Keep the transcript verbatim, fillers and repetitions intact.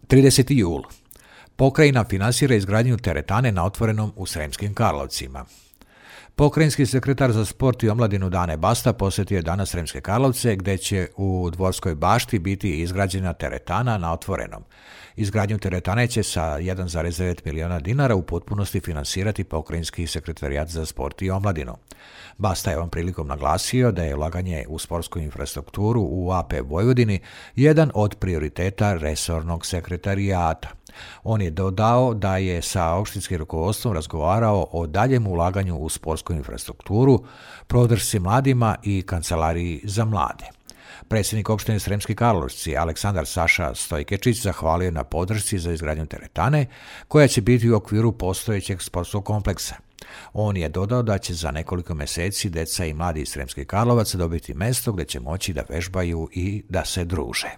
trideseti jul. Pokrajina finansira izgradnju teretane na otvorenom u Sremskim Karlovcima. Pokrajinski sekretar za sport i omladinu Dane Basta posjetio je danas Sremske Karlovce, gdje će u Dvorskoj bašti biti izgrađena teretana na otvorenom. Izgradnju teretane će sa jedan zarez devet milijuna dinara u potpunosti finansirati Pokrajinski sekretarijat za sport i omladinu. Basta je ovom prilikom naglasio da je ulaganje u sportsku infrastrukturu u A P Vojvodini jedan od prioriteta resornog sekretarijata. On je dodao da je sa opštinskim rukovodstvom razgovarao o daljem ulaganju u sportsku infrastrukturu, podršci mladima i kancelariji za mlade. Predsjednik opštine Sremski Karlovci Aleksandar Saša Stojkečić zahvalio na podršci za izgradnju teretane, koja će biti u okviru postojećeg sportskog kompleksa. On je dodao da će za nekoliko mjeseci deca i mladi iz Sremskih Karlovaca dobiti mjesto gdje će moći da vežbaju i da se druže.